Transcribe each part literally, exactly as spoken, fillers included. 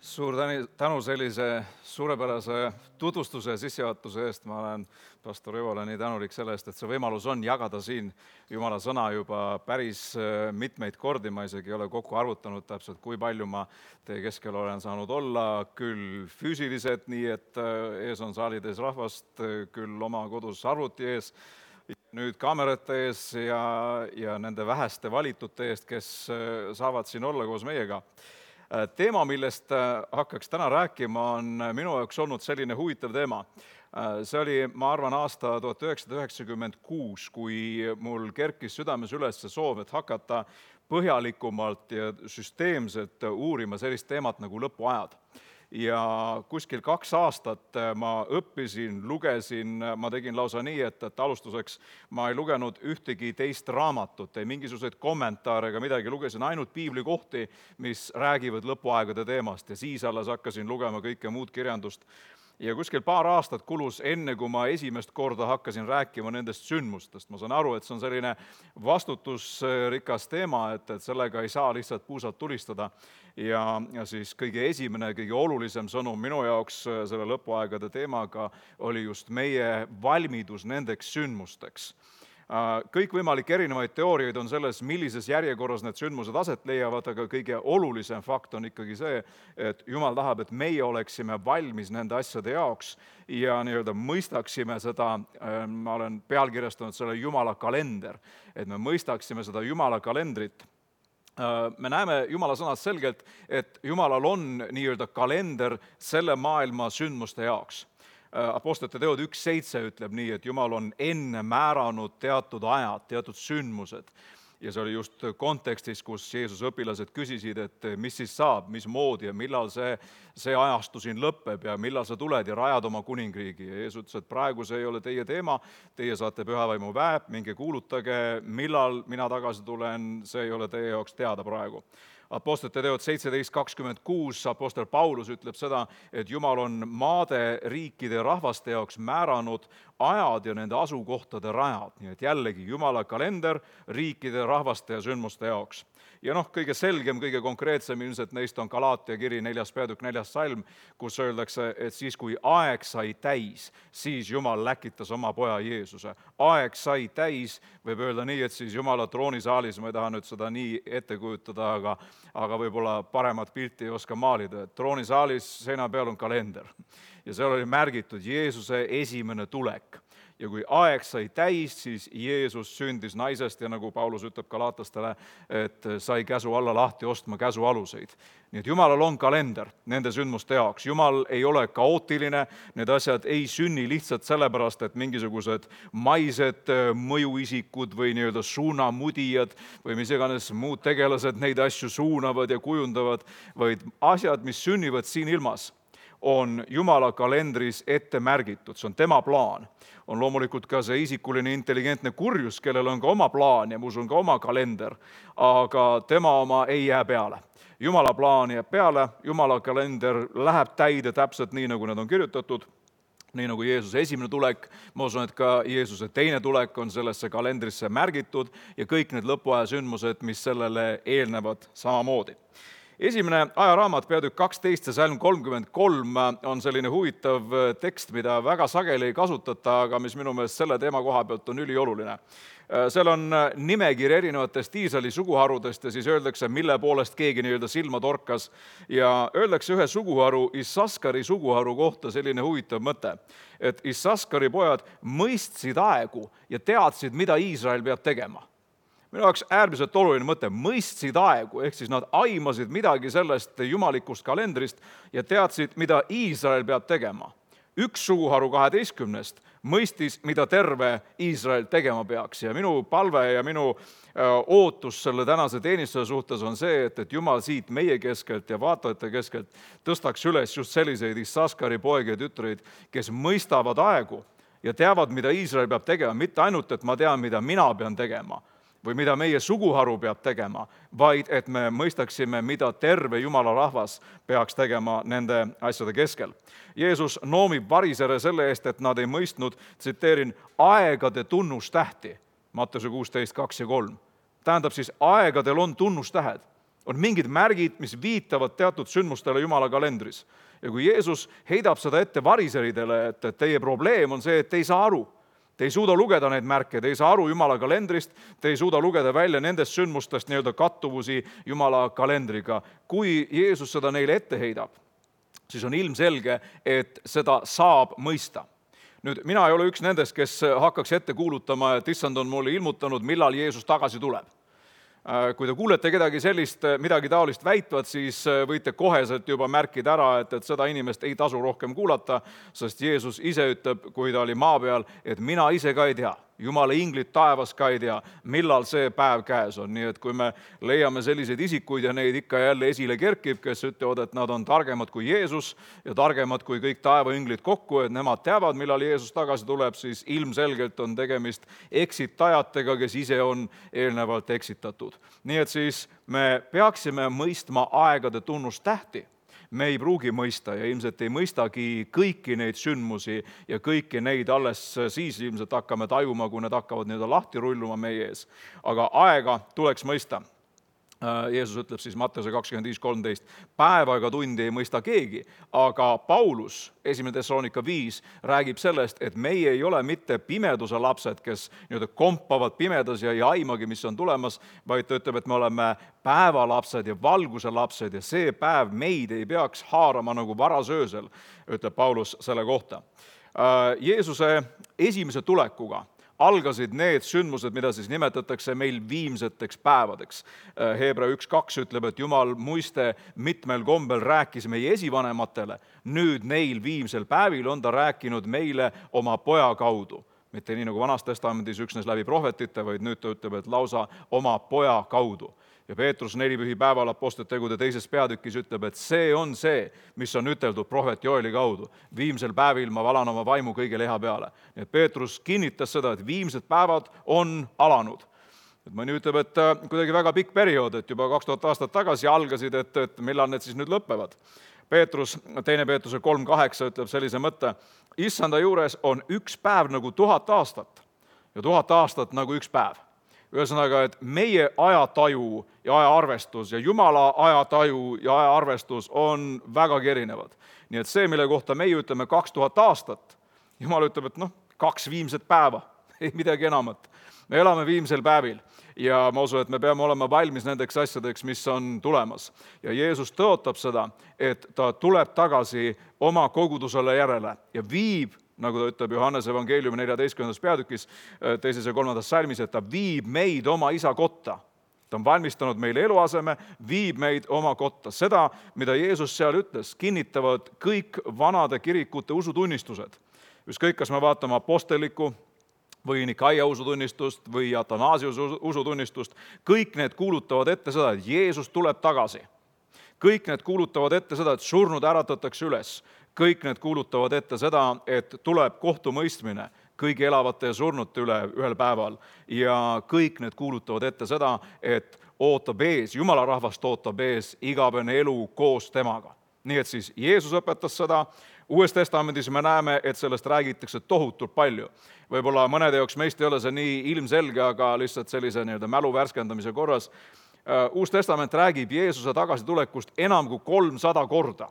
Suur täni- tänu sellise suurepärase tutvustuse ja sissejuhatuse eest. Ma olen pastor Evole nii tänulik selle eest, et see võimalus on jagada siin Jumala sõna juba päris äh, mitmeid kordi. Ma isegi ei ole kokku arvutanud täpselt, kui palju ma teie keskel olen saanud olla, küll füüsiliselt, nii et äh, ees on saalid ees rahvast, äh, küll oma kodus arvuti ees, nüüd kaamerate ees ja, ja nende väheste valitute eest, kes äh, saavad siin olla koos meiega. Teema, millest hakkaks täna rääkima, on minu jaoks olnud selline huvitav teema. See oli, ma arvan, aasta tuhat üheksasada üheksakümmend kuus, kui mul kerkis südames üles see soov, et hakata põhjalikumalt ja süsteemselt uurima sellist teemat nagu lõpuajad. Ja kuskil kaks aastat ma õppisin, lugesin, ma tegin lausa nii, et, et alustuseks ma ei lugenud ühtegi teist raamatut, ei mingisuguseid kommentaare ega midagi, lugesin ainult piiblikohti, mis räägivad lõpuaegade teemast ja siis alles hakkasin lugema kõike muud kirjandust. Ja kuskil paar aastat kulus enne, kui ma esimest korda hakkasin rääkima nendest sündmustest. Ma saan aru, et see on selline vastutusrikas teema, et, et sellega ei saa lihtsalt puusalt tulistada. Ja, ja siis kõige esimene, kõige olulisem sõnum minu jaoks selle lõpuaegade teemaga oli just meie valmidus nendeks sündmusteks. Kõikvõimalik erinevaid teooriaid on selles, millises järjekorras need sündmused aset leiavad, aga kõige olulisem fakt on ikkagi see, et Jumal tahab, et meie oleksime valmis nende asjade jaoks ja nii-öelda mõistaksime seda, ma olen pealkirjastanud selle Jumala kalender, et me mõistaksime seda Jumala kalendrit. Me näeme Jumala sõnas selgelt, et Jumalal on nii-öelda kalender selle maailma sündmuste jaoks. Apostlite teod üks seitse ütleb nii, et Jumal on enne määranud teatud ajad, teatud sündmused. Ja see oli just kontekstis, kus Jeesuse õpilased küsisid, et mis siis saab, mis moodi ja millal see, see ajastu siin lõpeb ja millal sa tuled ja rajad oma kuningriigi. Ja Jeesus ütles, et praegu see ei ole teie teema, teie saate pühavaimu väeb, minge kuulutage, millal mina tagasi tulen, see ei ole teie jaoks teada praegu. Apostlite teod seitseteist kakskümmend kuus, apostel Paulus ütleb seda, et Jumal on maade, riikide ja rahvaste jaoks määranud ajad ja nende asukohtade rajad. Nii et jällegi Jumala kalender riikide, rahvaste ja sündmuste jaoks. Ja noh, kõige selgem, kõige konkreetsem ilmselt neist on Galaatia kiri neljas peatükk neljas salm, kus öeldakse, et siis kui aeg sai täis, siis Jumal läkitas oma poja Jeesuse. Aeg sai täis, võib öelda nii, et siis Jumala troonisaalis, ma ei taha nüüd seda nii ette kujutada, aga, aga võib-olla paremat pilti ei oska maalida. Troonisaalis seina peal on kalender ja seal oli märgitud Jeesuse esimene tulek. Ja kui aeg sai täis, siis Jeesus sündis naisest ja nagu Paulus ütleb Galaatastele, et sai käsu alla lahti ostma käsu aluseid. Nii et Jumalal on kalender nende sündmuste jaoks. Jumal ei ole kaootiline, need asjad ei sünni lihtsalt sellepärast, et mingisugused maised mõjuisikud või nii-öelda suunamudijad või mis iganes muud tegelased neid asju suunavad ja kujundavad, vaid asjad, mis sünnivad siin ilmas, on Jumala kalendris ette märgitud, see on tema plaan. On loomulikult ka see isikuline intelligentne kurjus, kellel on ka oma plaan ja muus on ka oma kalender, aga tema oma ei jää peale. Jumala plaan jääb peale, Jumala kalender läheb täide täpselt nii, nagu need on kirjutatud, nii nagu Jeesuse esimene tulek, ma usun, et ka Jeesuse teine tulek on sellesse kalendrisse märgitud ja kõik need lõpuaja sündmused, mis sellele eelnevad samamoodi. Esimene ajaraamat, peatükk kaksteist ja salm kolmkümmend kolm on selline huvitav tekst, mida väga sageli ei kasutata, aga mis minu meelest selle teema koha pealt on ülioluline. Seal on nimekiri erinevatest Iisraeli suguharudest ja siis öeldakse, mille poolest keegi nii-öelda silma torkas. Ja öeldakse ühe suguharu, Issaskari suguharu kohta selline huvitav mõte, et Issaskari pojad mõistsid aegu ja teadsid, mida Iisrael peab tegema. Minu jaoks äärmiselt oluline mõte, mõistsid aegu, ehk siis nad aimasid midagi sellest jumalikust kalendrist ja teadsid, mida Iisrael peab tegema. Üks suguharu kaheteistkümnest mõistis, mida terve Iisrael tegema peaks ja minu palve ja minu ootus selle tänase teenistuse suhtes on see, et, et Jumal siit meie keskelt ja vaatajate keskelt tõstaks üles just selliseid Issaskari poegi ja tütreid, kes mõistavad aegu ja teavad, mida Iisrael peab tegema, mitte ainult, et ma tean, mida mina pean tegema, või mida meie suguharu peab tegema, vaid et me mõistaksime, mida terve Jumala rahvas peaks tegema nende asjade keskel. Jeesus noomib varisere selle eest, et nad ei mõistnud, tsiteerin, aegade tunnustähti, Matteuse kuusteist kaks ja kolm. Tähendab siis, aegadel on tunnustähed. On mingid märgid, mis viitavad teatud sündmustele Jumala kalendris. Ja kui Jeesus heidab seda ette variseridele, et teie probleem on see, et te ei saa aru. Te ei suuda lugeda neid märke, te ei saa aru Jumala kalendrist, te ei suuda lugeda välja nendest sündmustest nii-öelda kattuvusi Jumala kalendriga. Kui Jeesus seda neile ette heidab, siis on ilmselge, et seda saab mõista. Nüüd, mina ei ole üks nendest, kes hakkaks ette kuulutama, et issand on mulle ilmutanud, millal Jeesus tagasi tuleb. Kui te kuulete kedagi sellist, midagi taolist väitvat, siis võite koheselt juba märkida ära, et, et seda inimest ei tasu rohkem kuulata, sest Jeesus ise ütleb, kui ta oli maa peal, et mina ise ka ei tea. Jumala inglid taevas ka ei tea, millal see päev käes on. Nii et kui me leiame selliseid isikuid ja neid ikka jälle esile kerkib, kes ütlevad, et nad on targemad kui Jeesus ja targemad kui kõik taevainglid kokku, et nemad teavad, millal Jeesus tagasi tuleb, siis ilmselgelt on tegemist eksitajatega, kes ise on eelnevalt eksitatud. Nii et siis me peaksime mõistma aegade tunnustähti. Me ei pruugi mõista ja ilmselt ei mõistagi kõiki neid sündmusi ja kõiki neid alles siis ilmselt hakkame tajuma, kui need hakkavad nii-öelda lahti rulluma meie ees. Aga aega tuleks mõista. Jeesus ütleb siis Matteuse kakskümmend viis kolmteist, päeva ega tundi ei mõista keegi, aga Paulus, esimene Thessalonika viis, räägib sellest, et meie ei ole mitte pimeduse lapsed, kes nii-öelda kompavad pimedas ja ei aimagi, mis on tulemas, vaid ta ütleb, et me oleme päevalapsed ja valguse lapsed ja see päev meid ei peaks haarama nagu varasöösel, ütleb Paulus selle kohta. Jeesuse esimese tulekuga algasid need sündmused, mida siis nimetatakse meil viimseteks päevadeks. Heebra üks kaks ütleb, et Jumal muiste mitmel kombel rääkis meie esivanematele, nüüd neil viimsel päevil on ta rääkinud meile oma poja kaudu. Mitte nii nagu Vanas Testamendis üksnes läbi prohvetite, vaid nüüd ta ütleb, et lausa oma poja kaudu. Ja Peetrus nelipühi päeval Apostlite-tegude teises peatükis ütleb, et see on see, mis on üteldud prohvet Joeli kaudu. Viimsel päevil ma valan oma vaimu kõige leha peale. Nii et Peetrus kinnitas seda, et viimsed päevad on alanud. Et mõni ütleb, et kuidagi väga pikk periood, et juba kaks tuhat aastat tagasi algasid, et, et millal need siis nüüd lõppevad. Peetrus, teine Peetruse kolm kaheksa ütleb sellise mõtte, issanda juures on üks päev nagu tuhat aastat ja tuhat aastat nagu üks päev. Ühesõnaga, et meie ajataju ja ajaarvestus ja Jumala ajataju ja ajaarvestus on väga erinevad. Nii et see, mille kohta meie ütleme kaks tuhat aastat, Jumal ütleb, et noh, kaks viimset päeva, ei midagi enamat. Me elame viimsel päevil ja ma usun, et me peame olema valmis nendeks asjadeks, mis on tulemas. Ja Jeesus tõotab seda, et ta tuleb tagasi oma kogudusele järele ja viib, nagu ta ütleb Johannese evangeeliumi neljateistkümnendas peatükis, teises ja kolmandas salmis, et ta viib meid oma isa kotta. Ta on valmistanud meile eluaseme, viib meid oma kotta. Seda, mida Jeesus seal ütles, kinnitavad kõik vanade kirikute usutunnistused. Ükskõik, kas me vaatame apostelliku või Nikaia usutunnistust või Atanasiuse usutunnistust, kõik need kuulutavad ette seda, et Jeesus tuleb tagasi. Kõik need kuulutavad ette seda, et surnud äratatakse üles. Kõik need kuulutavad ette seda, et tuleb kohtumõistmine kõigi elavate ja surnute üle ühel päeval. Ja kõik need kuulutavad ette seda, et ootab ees, Jumala rahvast ootab ees igavene elu koos temaga. Nii et siis Jeesus õpetas seda. Uues testamendis me näeme, et sellest räägitakse tohutult palju. Võib-olla mõnede jaoks meist ei ole see nii ilmselge, aga lihtsalt sellise nii-öelda mälu värskendamise korras. Uus testament räägib Jeesuse tagasitulekust enam kui kolmsada korda.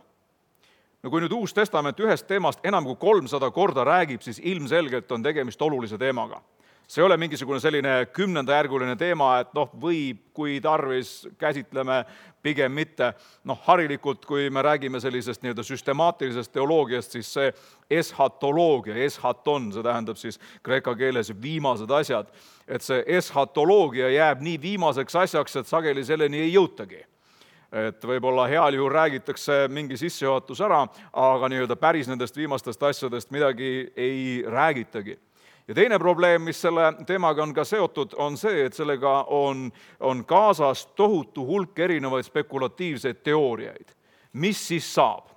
No kui nüüd Uus testament ühest teemast enam kui kolmsada korda räägib, siis ilmselgelt on tegemist olulise teemaga. See ei ole mingisugune selline kümnendajärguline teema, et noh, võib, kui tarvis, käsitleme pigem mitte. Noh, harilikult, kui me räägime sellisest nii-öelda süstemaatilisest teoloogiast, siis see eschatoloogia, eschaton, see tähendab siis kreeka keeles viimased asjad, et see eschatoloogia jääb nii viimaseks asjaks, et sageli selleni ei jõutagi. Et võib-olla heal juhul räägitakse mingi sissejuhatus ära, aga nii-öelda päris nendest viimastest asjadest midagi ei räägitagi. Ja teine probleem, mis selle teemaga on ka seotud, on see, et sellega on, on kaasas tohutu hulk erinevaid spekulatiivseid teooriaid. Mis siis saab?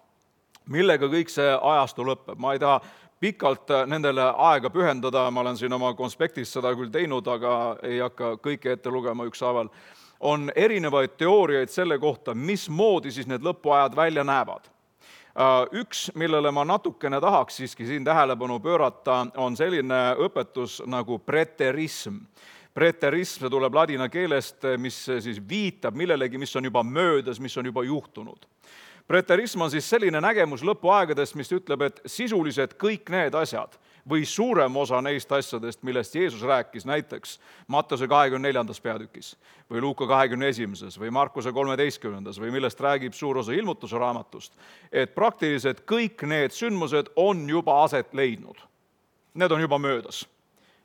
Millega kõik see ajastu lõpeb? Ma ei taha pikalt nendele aega pühendada, ma olen siin oma konspektis seda küll teinud, aga ei hakka kõike ette lugema ükshaaval. On erinevaid teooriaid selle kohta, mismoodi siis need lõpuajad välja näevad. Üks, millele ma natukene tahaks siiski siin tähelepanu pöörata, on selline õpetus nagu preterism. preterism, see tuleb ladina keelest, mis siis viitab millelegi, mis on juba möödas, mis on juba juhtunud. Preterism on siis selline nägemus lõpuaegadest, mis ütleb, et sisuliselt kõik need asjad või suurem osa neist asjadest, millest Jeesus rääkis näiteks Mattuse kahekümne neljandas peatükis või Luuka kahekümne esimeses või Markuse kolmeteistkümnendas või millest räägib suur osa ilmutuse raamatust, et praktiliselt kõik need sündmused on juba aset leidnud. Need on juba möödas.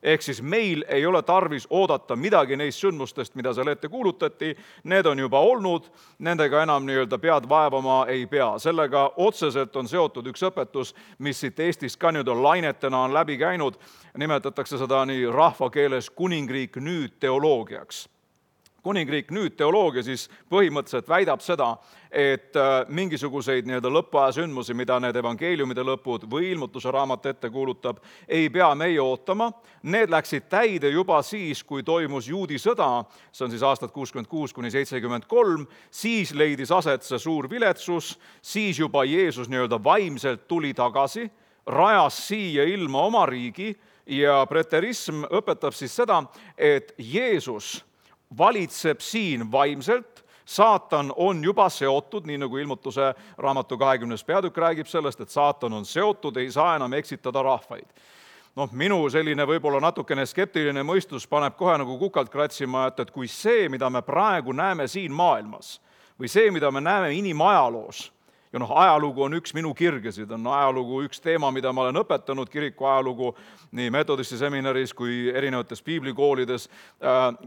Ehk siis meil ei ole tarvis oodata midagi neist sündmustest, mida seal ette kuulutati, need on juba olnud, nendega enam nii-öelda pead vaevama ei pea. Sellega otseselt on seotud üks õpetus, mis siit Eestist ka nüüd on lainetena on läbi käinud, nimetatakse seda nii rahvakeeles kuningriik nüüd teoloogiaks. Kuningriik nüüd teoloogia siis põhimõtteliselt väidab seda, et mingisuguseid nii-öelda lõppaja sündmusi, mida need evangeeliumide lõpud või ilmutuse raamat ette kuulutab, ei pea meie ootama. Need läksid täide juba siis, kui toimus juudi sõda, see on siis aastad kuuskümmend kuus kuni seitsekümmend kolm, siis leidis aset see suur viletsus, siis juba Jeesus nii-öelda vaimselt tuli tagasi, rajas siia ilma oma riigi ja preterism õpetab siis seda, et Jeesus valitseb siin vaimselt, saatan on juba seotud, nii nagu ilmutuse raamatu kahekümnes peatükk räägib sellest, et saatan on seotud, ei saa enam eksitada rahvaid. Noh, minu selline võib-olla natukene skeptiline mõistus paneb kohe nagu kukalt kratsima, et, et kui see, mida me praegu näeme siin maailmas või see, mida me näeme inimajaloos, ja noh, ajalugu on üks minu kirgesid, on ajalugu üks teema, mida ma olen õpetanud, kiriku ajalugu nii metodisti seminaris kui erinevates piiblikoolides.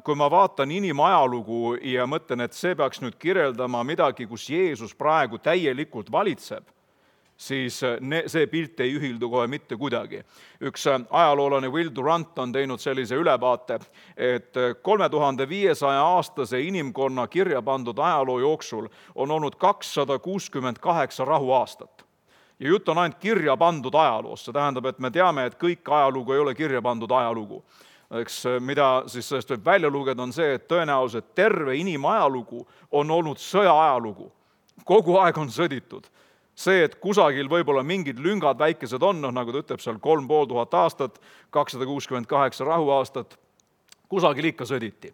Kui ma vaatan inimajalugu ja mõtlen, et see peaks nüüd kirjeldama midagi, kus Jeesus praegu täielikult valitseb, siis see pilt ei ühildu kohe mitte kuidagi. Üks ajaloolane Will Durant on teinud sellise ülevaate, et kolme tuhande viiesaja aastase inimkonna kirja pandud ajaloo jooksul on olnud kakssada kuuskümmend kaheksa rahuaastat. Ja jutt on ainult kirja pandud ajaloost, see tähendab, et me teame, et kõik ajalugu ei ole kirja pandud ajalugu. Eks, mida siis sellest võib välja lugeda on see, et tõenäoliselt terve inimajalugu on olnud sõjaajalugu. Kogu aeg on sõditud. See, et kusagil võib-olla mingid lüngad väikesed on, noh, nagu ta ütleb seal kolm pool tuhat aastat, kakssada kuuskümmend kaheksa rahuaastat, kusagil ikka sõditi.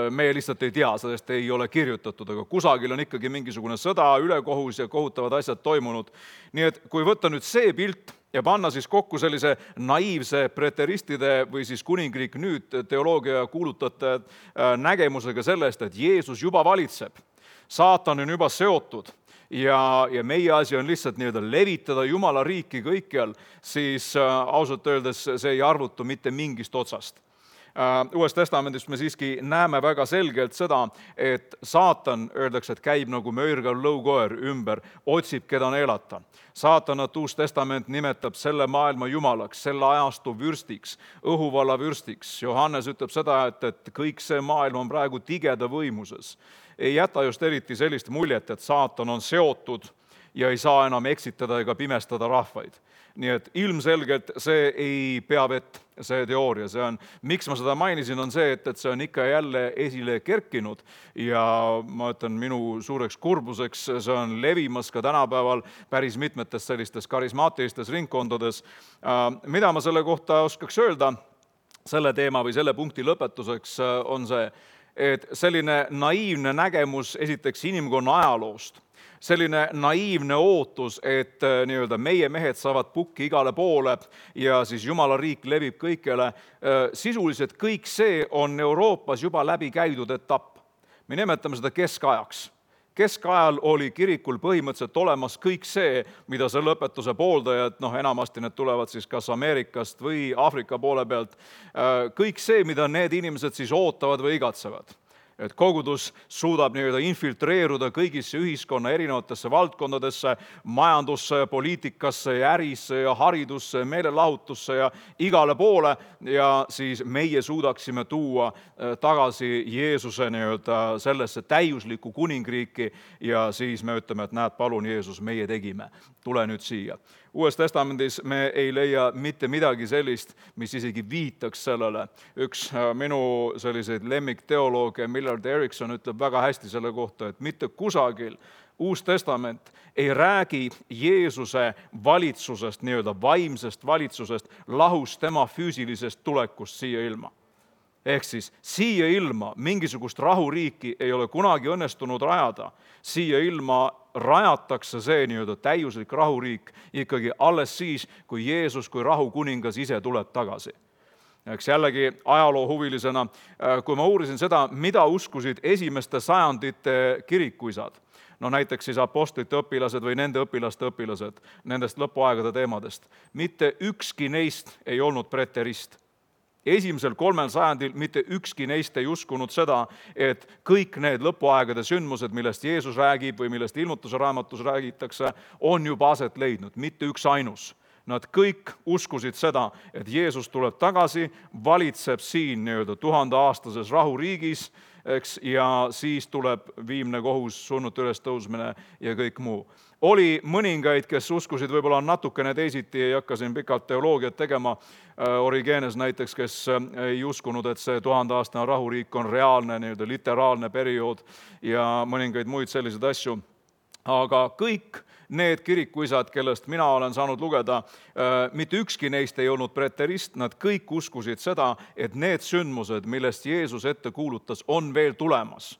Meie lihtsalt ei tea, sellest ei ole kirjutatud, aga kusagil on ikkagi mingisugune sõda, ülekohus ja kohutavad asjad toimunud. Nii et kui võtta nüüd see pilt ja panna siis kokku sellise naiivse preteristide või siis kuningriik nüüd teoloogia kuulutajate nägemusega sellest, et Jeesus juba valitseb, saatan on juba seotud, Ja, ja meie asi on lihtsalt nii-öelda levitada Jumala riiki kõikjal, siis äh, ausalt öeldes see ei arvutu mitte mingist otsast. Äh, Uues testamendis me siiski näeme väga selgelt seda, et saatan, öeldakse, et käib nagu möörgav lõukoer ümber, otsib, keda neelata. Saatanat Uus testament nimetab selle maailma jumalaks, selle ajastu vürstiks, õhuvalla vürstiks. Johannes ütleb seda, et, et kõik see maailm on praegu tigeda võimuses. Ei jäta just eriti sellist muljet, et saatan on seotud ja ei saa enam eksitada ega pimestada rahvaid. Nii et ilmselgelt see ei pea vett, see teooria. See on, miks ma seda mainisin, on see, et, et see on ikka jälle esile kerkinud ja ma ütlen, minu suureks kurbuseks see on levimas ka tänapäeval päris mitmetes sellistes karismaatilistes ringkondades. Mida ma selle kohta oskaks öelda, selle teema või selle punkti lõpetuseks on see, et selline naiivne nägemus esiteks inimkonna ajaloost, selline naiivne ootus, et nii-öelda meie mehed saavad pukki igale poole ja siis Jumala riik levib kõikjale, sisuliselt kõik see on Euroopas juba läbi käidud etapp. Me nimetame seda keskajaks. Keskajal oli kirikul põhimõtteliselt olemas kõik see, mida selle õpetuse pooldajad, noh enamasti need tulevad siis kas Ameerikast või Aafrika poole pealt, kõik see, mida need inimesed siis ootavad või igatsevad. Et kogudus suudab nii-öelda infiltreeruda kõigisse ühiskonna erinevatesse valdkondadesse, majandusse, poliitikasse ja ärisse ja haridusse, meelelahutusse ja igale poole ja siis meie suudaksime tuua tagasi Jeesuse nii-öelda sellesse täiuslikku kuningriiki ja siis me ütleme, et näed, palun Jeesus, meie tegime, tule nüüd siia. Uues testamendis me ei leia mitte midagi sellist, mis isegi viitaks sellele. Üks minu selliseid lemmikteolooge, Millard Erickson, ütleb väga hästi selle kohta, et mitte kusagil Uus testament ei räägi Jeesuse valitsusest, nii-öelda vaimsest valitsusest, lahus tema füüsilisest tulekust siia ilma. Ehk siis siia ilma mingisugust rahuriiki ei ole kunagi õnnestunud rajada. Siia ilma rajatakse see nii-öelda täiuslik rahuriik ikkagi alles siis, kui Jeesus kui rahukuningas ise tuleb tagasi. Eks jällegi ajaloohuvilisena, kui ma uurisin seda, mida uskusid esimeste sajandite kirikuisad, no näiteks siis apostlite õpilased või nende õpilaste õpilased nendest lõpuaegade teemadest, mitte ükski neist ei olnud preterist. Esimesel kolmel sajandil mitte ükski neist ei uskunud seda, et kõik need lõpuaegade sündmused, millest Jeesus räägib või millest ilmutuse raamatus räägitakse, on juba aset leidnud, mitte üks ainus. Nad kõik uskusid seda, et Jeesus tuleb tagasi, valitseb siin nii-öelda tuhandeaastases rahuriigis, eks, ja siis tuleb viimne kohus, surnute ülestõusmine ja kõik muu. Oli mõningaid, kes uskusid võib-olla natukene teisiti, ei hakka siin pikalt teoloogiat tegema, Origenes näiteks, kes ei uskunud, et see tuhandeaastane rahuriik on reaalne, nii-öelda literaalne periood ja mõningaid muid selliseid asju. Aga kõik need kirikuisad, kellest mina olen saanud lugeda, mitte ükski neist ei olnud preterist, nad kõik uskusid seda, et need sündmused, millest Jeesus ette kuulutas, on veel tulemas.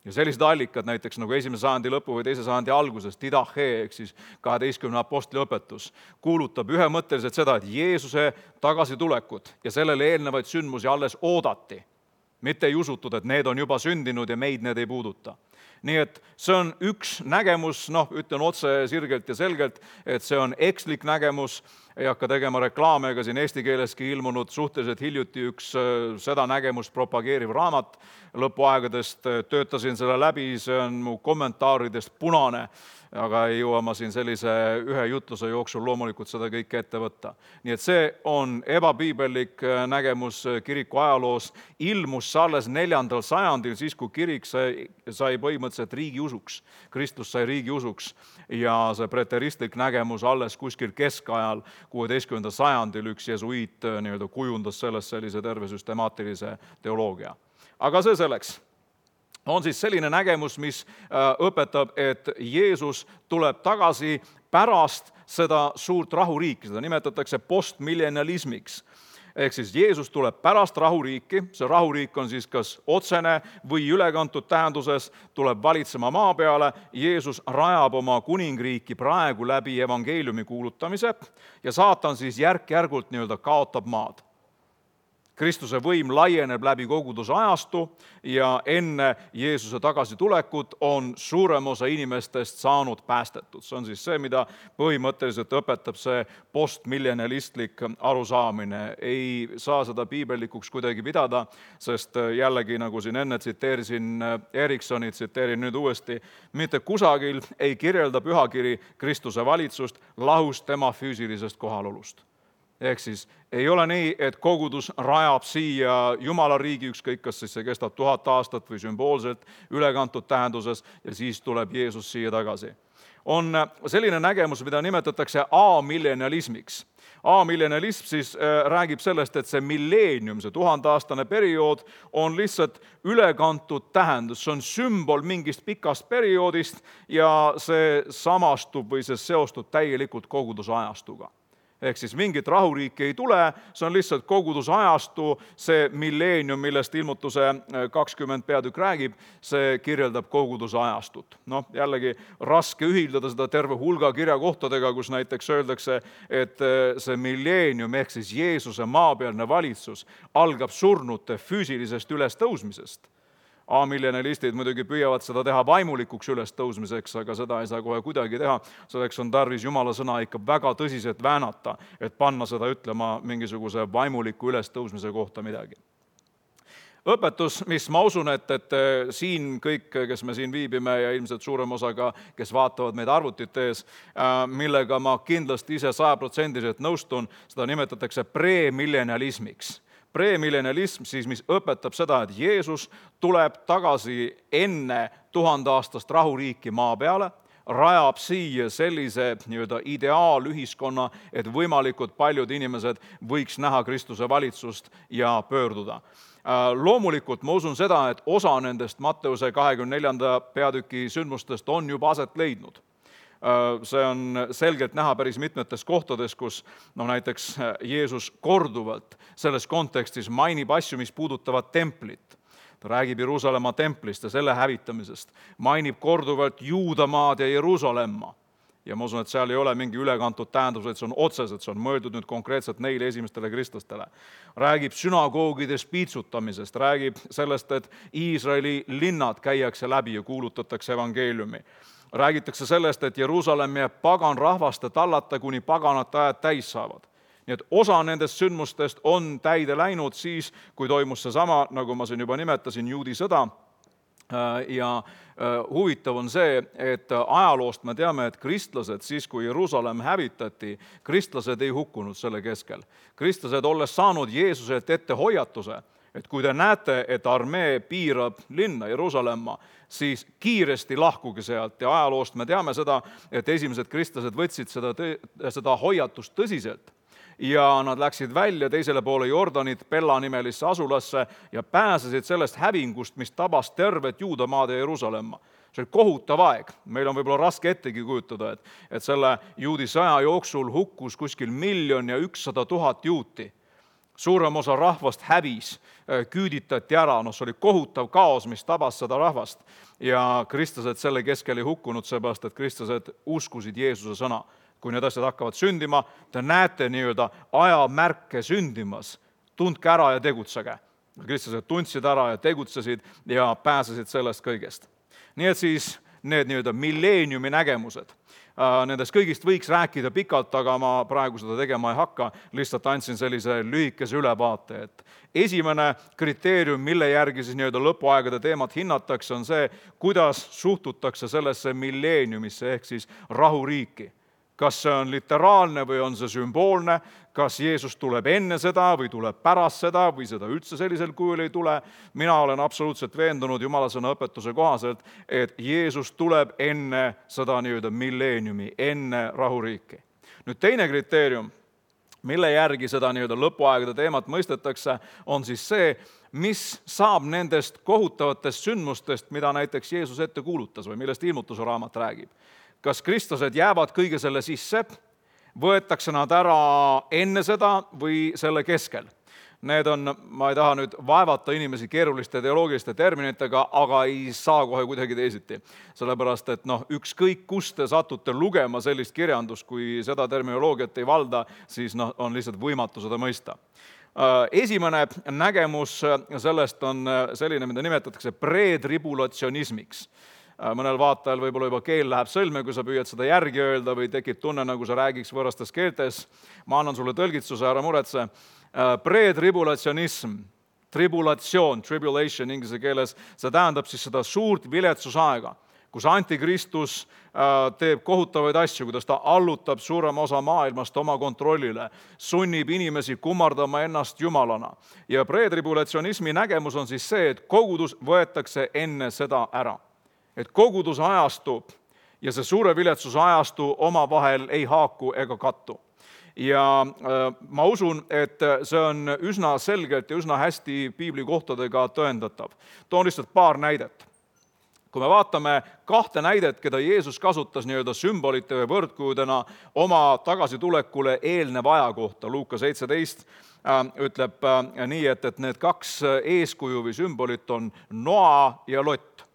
Ja sellised allikad näiteks nagu esimese sajandi lõpu või teise sajandi alguses, Didache, ehk siis kaheteistkümne apostli õpetus, kuulutab ühemõtteliselt seda, et Jeesuse tagasitulekut ja sellele eelnevaid sündmusi alles oodati. Mitte ei usutud, et need on juba sündinud ja meid need ei puuduta. Nii et see on üks nägemus, noh, ütlen otse sirgelt ja selgelt, et see on ekslik nägemus, ei hakka tegema reklaame, ega siin eesti keeleski ilmunud suhteliselt hiljuti üks seda nägemust propageeriv raamat lõpuaegadest, töötasin selle läbi, see on mu kommentaaridest punane, aga ei jõua ma siin sellise ühe jutluse jooksul loomulikult seda kõike ette võtta. Nii et see on ebapiibellik nägemus kiriku ajaloos, ilmus alles neljandal sajandil, siis kui kirik sai, sai põhimõtteliselt riigi usuks, Kristus sai riigi usuks ja see preteristlik nägemus alles kuskil keskajal, kuueteistkümnendal sajandil üks jesuiit nii-öelda kujundas sellest sellise terve süstemaatilise teoloogia. Aga see selleks. On siis selline nägemus, mis õpetab, et Jeesus tuleb tagasi pärast seda suurt rahuriiki, seda nimetatakse postmillennialismiks. Ehk siis Jeesus tuleb pärast rahuriiki, see rahuriik on siis kas otsene või ülekantud tähenduses, tuleb valitsema maa peale, Jeesus rajab oma kuningriiki praegu läbi evangeeliumi kuulutamise ja saatan siis järk-järgult nii-öelda kaotab maad. Kristuse võim laieneb läbi koguduse ajastu ja enne Jeesuse tagasitulekut on suurem osa inimestest saanud päästetud. See on siis see, mida põhimõtteliselt õpetab see postmillennialistlik arusaamine. Ei saa seda piibellikuks kuidagi pidada, sest jällegi, nagu siin enne tsiteerisin Eriksoni, tsiteerin nüüd uuesti, mitte kusagil ei kirjelda pühakiri Kristuse valitsust lahus tema füüsilisest kohalolust. Ehk siis ei ole nii, et kogudus rajab siia Jumala riigi, ükskõik kas siis see kestab tuhat aastat või sümboolselt ülekantud tähenduses ja siis tuleb Jeesus siia tagasi. On selline nägemus, mida nimetatakse amillennialismiks. Amillennialism siis räägib sellest, et see milleenium, see tuhandeaastane periood on lihtsalt ülekantud tähendus, see on sümbol mingist pikast perioodist ja see samastub või see seostub täielikult koguduse ajastuga. Ehk siis mingit rahuriiki ei tule, see on lihtsalt koguduse ajastu, see milleenium, millest ilmutuse kakskümmend peatükk räägib, see kirjeldab koguduse ajastut. Noh, jällegi raske ühildada seda terve hulga kirjakohtadega, kus näiteks öeldakse, et see milleenium ehk siis Jeesuse maapealne valitsus algab surnute füüsilisest ülestõusmisest. Amillennialistid muidugi püüavad seda teha vaimulikuks ülestõusmiseks, aga seda ei saa kohe kuidagi teha. Selleks on tarvis Jumala sõna ikka väga tõsiselt väänata, et panna seda ütlema mingisuguse vaimuliku ülestõusmise kohta midagi. Õpetus, mis ma usun, et, et siin kõik, kes me siin viibime ja ilmselt suurem osaga, kes vaatavad meid arvutite ees, millega ma kindlasti ise sajaprotsendiliselt nõustun, seda nimetatakse premillennialismiks. Premillennialism siis, mis õpetab seda, et Jeesus tuleb tagasi enne tuhandeaastast rahuriiki maa peale, rajab siia sellise nii-öelda ideaalühiskonna, et võimalikult paljud inimesed võiks näha Kristuse valitsust ja pöörduda. Loomulikult ma usun seda, et osa nendest Matteuse kahekümne neljanda peatüki sündmustest on juba aset leidnud. See on selgelt näha päris mitmetes kohtades, kus no näiteks Jeesus korduvalt selles kontekstis mainib asju, mis puudutavad templit. Ta räägib Jeruusalemma templist ja selle hävitamisest, mainib korduvalt Juudamaad ja Jeruusalemma. Ja ma usun, et seal ei ole mingi ülekantud tähendus, et see on otseselt, see on mõeldud nüüd konkreetselt neile esimestele kristlastele. Räägib sünagoogides piitsutamisest, räägib sellest, et Iisraeli linnad käiakse läbi ja kuulutatakse evangeeliumi. Räägitakse sellest, et Jeruusalemm jääb pagan rahvaste tallata, kuni paganate ajad täis saavad. Nii et osa nendest sündmustest on täide läinud siis, kui toimus see sama, nagu ma siin juba nimetasin, juudi sõda. Ja huvitav on see, et ajaloost me teame, et kristlased siis, kui Jeruusalemm hävitati, kristlased ei hukkunud selle keskel. Kristlased, olles saanud Jeesuselt ette hoiatuse, et kui te näete, et armee piirab linna Jeruusalemma, siis kiiresti lahkuge sealt. Ja ajaloost me teame seda, et esimesed kristlased võtsid seda, seda hoiatust tõsiselt. Ja nad läksid välja teisele poole Jordanit Pella nimelisse asulasse ja pääsesid sellest hävingust, mis tabas tervet Juudamaad ja Jeruusalemma. See oli kohutav aeg. Meil on võib-olla raske ettegi kujutada, et, et selle juudi sõja jooksul hukkus kuskil miljon ja ükssada tuhat juuti. Suurem osa rahvast hävis, küüditati ära, no see oli kohutav kaos, mis tabas seda rahvast. Ja kristlased selle keskel ei hukkunud, seepärast, et kristlased uskusid Jeesuse sõna. Kui need asjad hakkavad sündima, te näete nii-öelda ajamärke sündimas, tundke ära ja tegutsege. Kristlased tundsid ära ja tegutsesid ja pääsesid sellest kõigest. Nii et siis need nii-öelda milleeniumi nägemused. Nendest kõigist võiks rääkida pikalt, aga ma praegu seda tegema ei hakka, lihtsalt andsin sellise lühikese ülevaate. Et esimene kriteerium, mille järgi siis nii-öelda lõpuaegade teemat hinnatakse, on see, kuidas suhtutakse sellesse milleeniumisse ehk siis rahuriiki. Kas see on literaalne või on see sümboolne, kas Jeesus tuleb enne seda või tuleb pärast seda või seda üldse sellisel kujul ei tule. Mina olen absoluutselt veendunud Jumala sõna õpetuse kohaselt, et Jeesus tuleb enne seda nii-öelda milleeniumi, enne rahuriiki. Nüüd teine kriteerium, mille järgi seda nii-öelda lõpuaegade teemat mõistetakse, on siis see, mis saab nendest kohutavatest sündmustest, mida näiteks Jeesus ette kuulutas või millest ilmutuse raamat räägib. Kas kristlased jäävad kõige selle sisse, võetakse nad ära enne seda või selle keskel. Need on, ma ei taha nüüd vaevata inimesi keeruliste teoloogiliste terminitega, aga ei saa kohe kuidagi teisiti. Sellepärast, et noh, ükskõik kust te satute lugema sellist kirjandust, kui seda terminoloogiat ei valda, siis noh, on lihtsalt võimatu seda mõista. Esimene nägemus sellest on selline, mida nimetatakse pretribulatsionismiks. Mõnel vaatajal võib-olla juba keel läheb sõlme, kui sa püüad seda järgi öelda või tekib tunne, nagu sa räägiks võõrastes keeltes. Ma annan sulle tõlgitsuse, ära muretse. Pretribulatsionism, tribulatsioon, tribulation inglise keeles, see tähendab siis seda suurt viletsusaega, kus antikristus teeb kohutavaid asju, kuidas ta allutab suurema osa maailmast oma kontrollile, sunnib inimesi kummardama ennast jumalana. Ja pretribulatsionismi nägemus on siis see, et kogudus võetakse enne seda ära. Et kogudus ajastub ja see suure viletsuse ajastu omavahel ei haaku ega kattu. Ja ma usun, et see on üsna selgelt ja üsna hästi piibli kohtadega tõendatav. Toon lihtsalt paar näidet. Kui me vaatame kahte näidet, keda Jeesus kasutas nii-öelda sümbolite või võrdkujudena oma tagasitulekule eelneva aja kohta, Luuka seitseteist ütleb nii, et, et need kaks eeskuju või sümbolit on Noa ja Lott.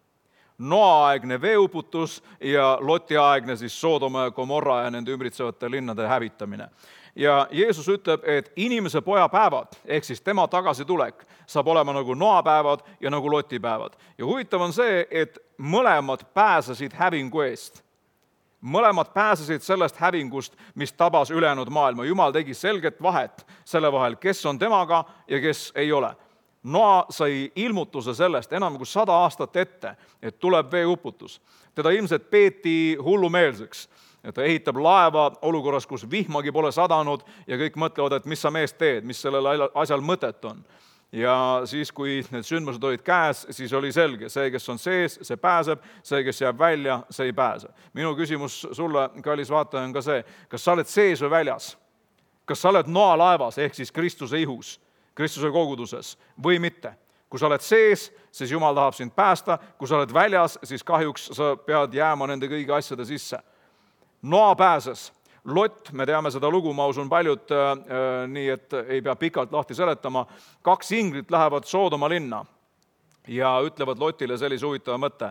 Noa-aegne veeuputus ja Loti-aegne siis Soodoma ja Gomorra ja nende ümbritsevate linnade hävitamine. Ja Jeesus ütleb, et inimese poja päevad, ehk siis tema tagasitulek, saab olema nagu Noa päevad ja nagu Loti päevad. Ja huvitav on see, et mõlemad pääsesid hävingu eest. Mõlemad pääsesid sellest hävingust, mis tabas ülejäänud maailma. Jumal tegi selget vahet selle vahel, kes on temaga ja kes ei ole. Noa sai ilmutuse sellest enam kui sada aastat ette, et tuleb veeuputus. Teda ilmselt peeti hullumeelseks. Ta ehitab laeva olukorras, kus vihmagi pole sadanud ja kõik mõtlevad, et mis sa mees teed, mis sellel asjal mõtet on. Ja siis, kui need sündmused olid käes, siis oli selge, see, kes on sees, see pääseb, see, kes jääb välja, see ei pääse. Minu küsimus sulle, kallis vaataja, on ka see, kas sa oled sees või väljas? Kas sa oled Noa laevas, ehk siis Kristuse ihus? Kristuse koguduses või mitte. Kui sa oled sees, siis Jumal tahab sind päästa, kui sa oled väljas, siis kahjuks sa pead jääma nende kõigi asjade sisse. Noa pääses. Lott, me teame seda lugu, ma usun paljud, äh, nii et ei pea pikalt lahti seletama, kaks inglit lähevad Soodoma linna ja ütlevad Lotile sellise huvitava mõtte.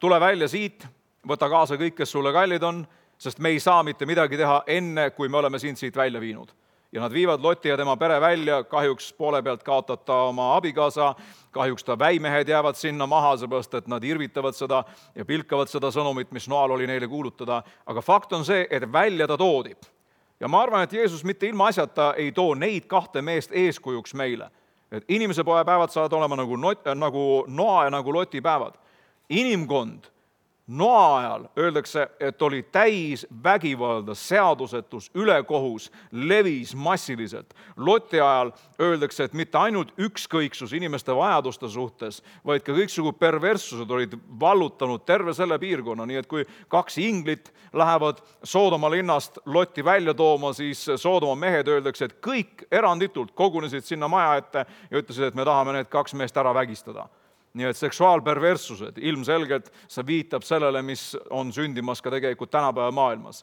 Tule välja siit, võta kaasa kõik, kes sulle kallid on, sest me ei saa mitte midagi teha enne, kui me oleme sind siit välja viinud. Ja nad viivad Loti ja tema pere välja, kahjuks poole pealt kaotab ta oma abikaasa, kahjuks ta väimehed jäävad sinna maha, seepärast et nad irvitavad seda ja pilkavad seda sõnumit, mis Noal oli neile kuulutada. Aga fakt on see, et välja ta toodi. Ja ma arvan, et Jeesus mitte ilma asjata ei too neid kahte meest eeskujuks meile. Et inimese poja päevad saavad olema nagu, not, nagu Noa ja nagu Loti päevad. Inimkond Noa ajal öeldakse, et oli täis vägivalda, seadusetus, ülekohus, levis massiliselt. Loti ajal öeldakse, et mitte ainult ükskõiksus inimeste vajaduste suhtes, vaid ka kõiksugu perverssused olid vallutanud terve selle piirkonna. Nii et kui kaks inglit lähevad Soodoma linnast Lotti välja tooma, siis Soodoma mehed öeldakse, et kõik eranditult kogunesid sinna maja ette ja ütlesid, et me tahame need kaks meest ära vägistada. Nii et seksuaalperverssused, ilmselgelt see viitab sellele, mis on sündimas ka tegelikult tänapäeva maailmas.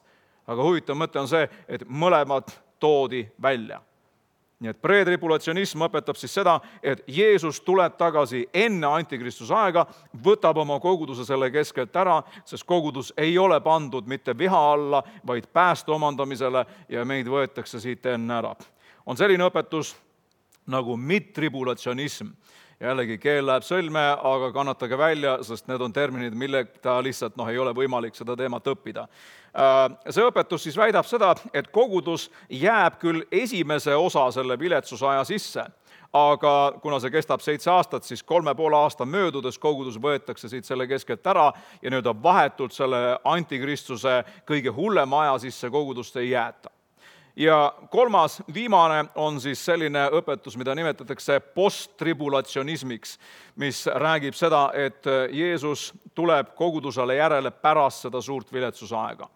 Aga huvitav mõte on see, et mõlemad toodi välja. Nii et pretribulatsionism õpetab siis seda, et Jeesus tuleb tagasi enne antikristuse aega, võtab oma koguduse selle keskelt ära, sest kogudus ei ole pandud mitte viha alla, vaid pääste omandamisele ja meid võetakse siit enne ära. On selline õpetus nagu midtribulatsionism. Jällegi keel läheb sõlme, aga kannatage välja, sest need on terminid, mille ta lihtsalt noh, ei ole võimalik seda teemat õppida. See õpetus siis väidab seda, et kogudus jääb küll esimese osa selle viletsusaja sisse, aga kuna see kestab seitse aastat, siis kolme poole aasta möödudes kogudus võetakse siit selle keskelt ära ja nüüd vahetult selle antikristuse kõige hullema aja sisse kogudust ei jäeta. Ja kolmas, viimane on siis selline õpetus, mida nimetatakse posttribulatsionismiks, mis räägib seda, et Jeesus tuleb kogudusele järele pärast seda suurt viletsusaega.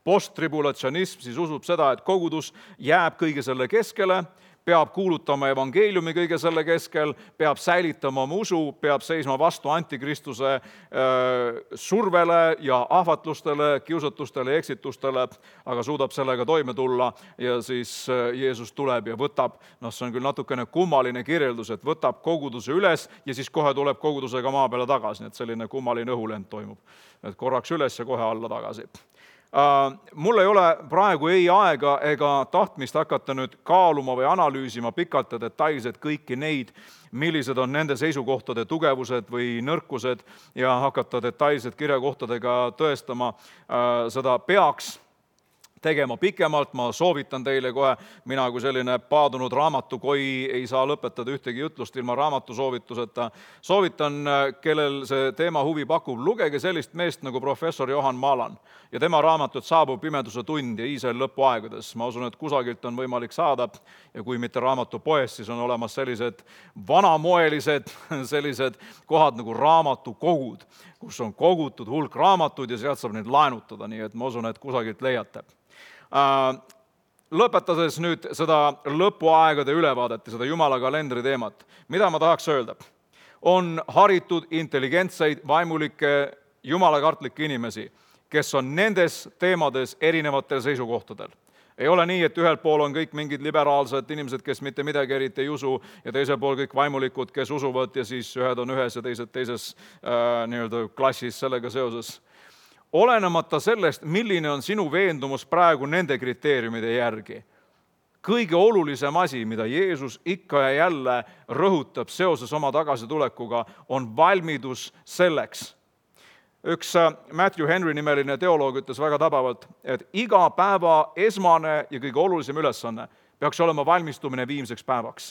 Posttribulatsionism siis usub seda, et kogudus jääb kõige selle keskele, peab kuulutama evangeeliumi kõige selle keskel, peab säilitama oma usu, peab seisma vastu antikristuse survele ja ahvatlustele, kiusatustele ja eksitustele, aga suudab sellega toime tulla ja siis Jeesus tuleb ja võtab, noh see on küll natukene kummaline kirjeldus, et võtab koguduse üles ja siis kohe tuleb kogudusega maa peale tagasi, nii et selline kummaline õhulend toimub, et korraks üles ja kohe alla tagasi. Mul ei ole praegu ei aega ega tahtmist hakata nüüd kaaluma või analüüsima pikalt ja detailselt kõiki neid, millised on nende seisukohtade tugevused või nõrkused ja hakata detailselt kirjakohtadega tõestama. Seda peaks tegema pikemalt, ma soovitan teile kohe, mina kui selline paadunud raamatukoi ei saa lõpetada ühtegi jutlust ilma raamatu soovituseta. Soovitan, kellel see teema huvi pakub, lugege sellist meest nagu professor Johan Maalan ja tema raamatut Saabub pimeduse tund ja Iisraeli lõpuaegades. Ma usun, et kusagilt on võimalik saada ja kui mitte raamatupoest, siis on olemas sellised vanamoelised sellised kohad nagu raamatukogud, kus on kogutud hulk raamatuid ja sealt saab neid laenutada, nii et ma usun, et kusagilt leiate. Lõpetades nüüd seda lõpuaegade ülevaadet ja seda Jumala kalendri teemat, mida ma tahaks öelda? On haritud, intelligentseid, vaimulikke, jumalakartlikke inimesi, kes on nendes teemades erinevatel seisukohtadel. Ei ole nii, et ühel pool on kõik mingid liberaalsed inimesed, kes mitte midagi eriti ei usu ja teisel pool kõik vaimulikud, kes usuvad ja siis ühed on ühes ja teised teises äh, nii-öelda klassis sellega seoses. Olenemata sellest, milline on sinu veendumus praegu nende kriteeriumide järgi. Kõige olulisem asi, mida Jeesus ikka ja jälle rõhutab seoses oma tagasitulekuga, on valmidus selleks. Üks Matthew Henry nimeline teoloog ütles väga tabavalt, et iga päeva esmane ja kõige olulisem ülesanne peaks olema valmistumine viimseks päevaks.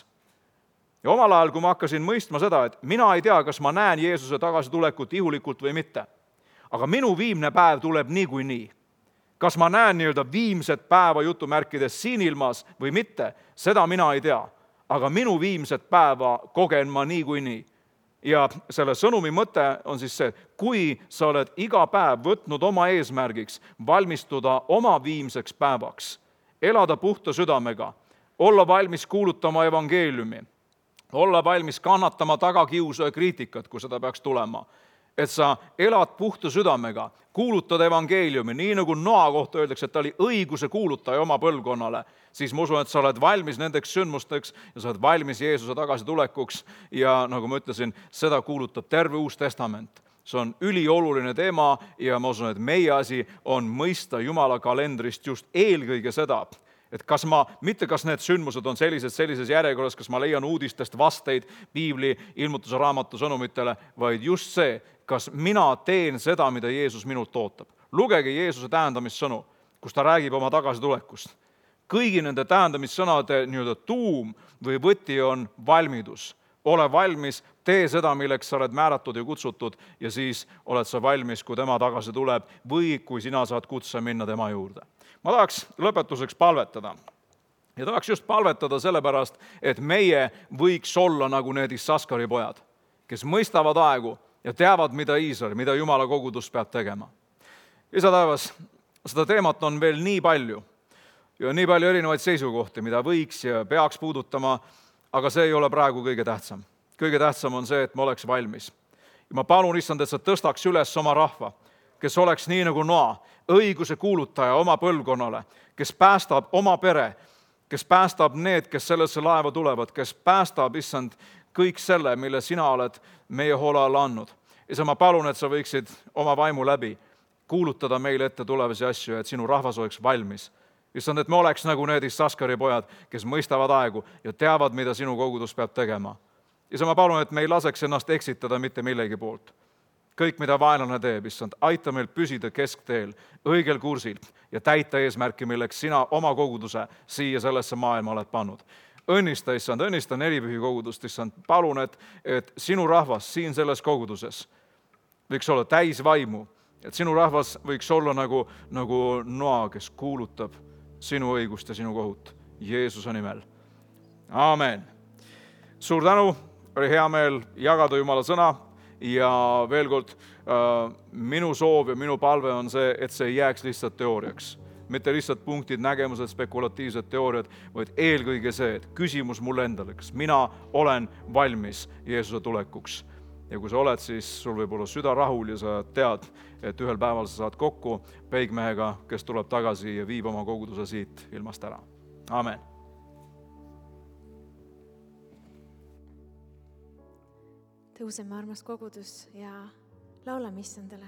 Ja omal ajal, kui ma hakkasin mõistma seda, et mina ei tea, kas ma näen Jeesuse tagasitulekut ihulikult või mitte, aga minu viimne päev tuleb niikuinii. Kas ma näen nii-öelda viimset päeva jutumärkides siin ilmas või mitte, seda mina ei tea. Aga minu viimset päeva kogen ma niikuinii. Ja selle sõnumi mõte on siis see, kui sa oled iga päev võtnud oma eesmärgiks valmistuda oma viimseks päevaks, elada puhta südamega, olla valmis kuulutama evangeeliumi, olla valmis kannatama tagakiusu ja kriitikat, kui seda peaks tulema, et sa elad puhta südamega, kuulutad evangeeliumi, nii nagu Noa kohta öeldakse, et ta oli õiguse kuulutaja oma põlvkonnale, siis ma usun, et sa oled valmis nendeks sündmusteks ja sa oled valmis Jeesuse tagasitulekuks ja nagu ma ütlesin, seda kuulutab terve Uus Testament. See on ülioluline teema ja ma usun, et meie asi on mõista Jumala kalendrist just eelkõige seda, et kas ma, mitte kas need sündmused on sellised, sellises järjekorras, kas ma leian uudistest vasteid piibli ilmutuse raamatu sõnumitele, vaid just see, kas mina teen seda, mida Jeesus minult ootab. Lugege Jeesuse tähendamissõnu, kus ta räägib oma tagasitulekust. Kõigi nende tähendamissõnade nii-öelda tuum või võti on valmidus. Ole valmis, tee seda, milleks sa oled määratud ja kutsutud ja siis oled sa valmis, kui tema tagasi tuleb või kui sina saad kutse minna tema juurde. Ma tahaks lõpetuseks palvetada. Ja tahaks just palvetada sellepärast, et meie võiks olla nagu need Issaskari pojad, kes mõistavad aegu ja teavad, mida Iisrael, mida Jumala kogudus peab tegema. Isa taevas, seda teemat on veel nii palju ja nii palju erinevaid seisukohti, mida võiks ja peaks puudutama, aga see ei ole praegu kõige tähtsam. Kõige tähtsam on see, et me oleks valmis. Ja ma palun, issand, et sa tõstaks üles oma rahva, kes oleks nii nagu Noa, õiguse kuulutaja oma põlvkonnale, kes päästab oma pere, kes päästab need, kes sellesse laeva tulevad, kes päästab, issand, kõik selle, mille sina oled meie hoole alla andnud. Isa, ma palun, et sa võiksid oma vaimu läbi kuulutada meile ette tulevasi asju, et sinu rahvas oleks valmis. Issand, et me oleks nagu need Issaskari pojad, kes mõistavad aegu ja teavad, mida sinu kogudus peab tegema. Isa, ma palun, et me ei laseks ennast eksitada mitte millegi poolt. Kõik, mida vaenlane teeb, issand, aita meil püsida keskteel, õigel kursil ja täita eesmärki, milleks sina oma koguduse siia sellesse maailma oled pannud. Õnnista, issand, õnnista nelipühi kogudust, issand, palun, et, et sinu rahvas siin selles koguduses võiks olla täis vaimu, et sinu rahvas võiks olla nagu, nagu Noa, kes kuulutab sinu õigust ja sinu kohut Jeesuse nimel. Aamen. Suur tänu, oli hea meel jagada Jumala sõna. Ja veel kord, minu soov ja minu palve on see, et see ei jääks lihtsalt teooriaks. Mitte lihtsalt punktid, nägemused, spekulatiivsed teooriad, vaid eelkõige see, et küsimus mulle endale, kas mina olen valmis Jeesuse tulekuks. Ja kui sa oled, siis sul võib olla süda rahul ja sa tead, et ühel päeval sa saad kokku peigmehega, kes tuleb tagasi ja viib oma koguduse siit ilmast ära. Amen. Tõuseme, armas kogudus, ja laulame issandale.